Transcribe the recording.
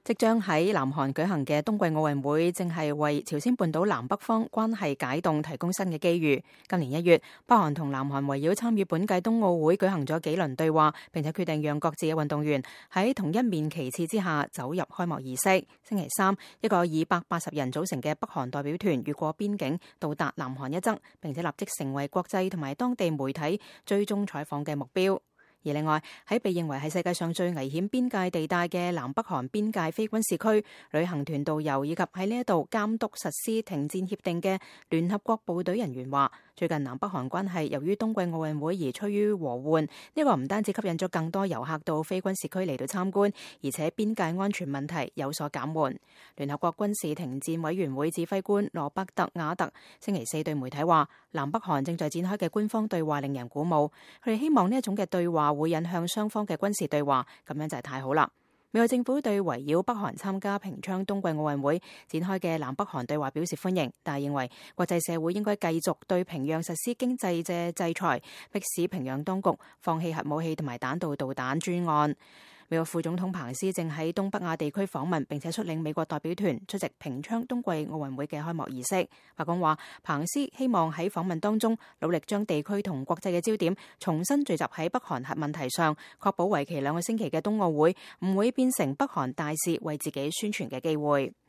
即將喺南韓舉行嘅冬季奧運會，正係為朝鮮半島南北方關係解凍提供新嘅機遇。今年1月，北韓同南韓圍繞參與本屆冬奧會舉行咗幾輪對話，並且決定讓各自嘅運動員喺同一面旗幟之下走入開幕儀式。星期三，一個以180人組成嘅北韓代表團越過邊境到達南韓一側，並且立即成為國際同埋當地媒體追蹤採訪嘅目標。而另外，喺被認為係世界上最危險邊界地帶嘅南北韓邊界非軍事區，旅行團導遊以及喺呢一度監督實施停戰協定嘅聯合國部隊人員話，最近南北韓關係由於冬季奧運會而趨於和緩，呢個唔單止吸引咗更多遊客到非軍事區嚟到參觀，而且邊界安全問題有所減緩。聯合國軍事停戰委員會指揮官羅伯特瓦特星期四對媒體話，南北韓正在展開嘅官方對話令人鼓舞，佢哋希望呢一種嘅對話會引向雙方嘅軍事對話，咁樣就係太好啦。美國政府對圍繞北韓參加平昌冬季奧運會展開嘅南北韓對話表示歡迎，但係認為國際社會應該繼續對平壤實施經濟嘅制裁，迫使平壤當局放棄核武器同埋彈道導彈專案。美國副總統彭斯正喺東北亞地區訪問，並且率領美國代表團出席平昌冬季奧運會嘅開幕儀式。白宮話，彭斯希望喺訪問當中努力將地區同國際嘅焦點重新聚集喺北韓核問題上，確保為期2個星期嘅冬奧會唔會變成北韓大使為自己宣傳嘅機會。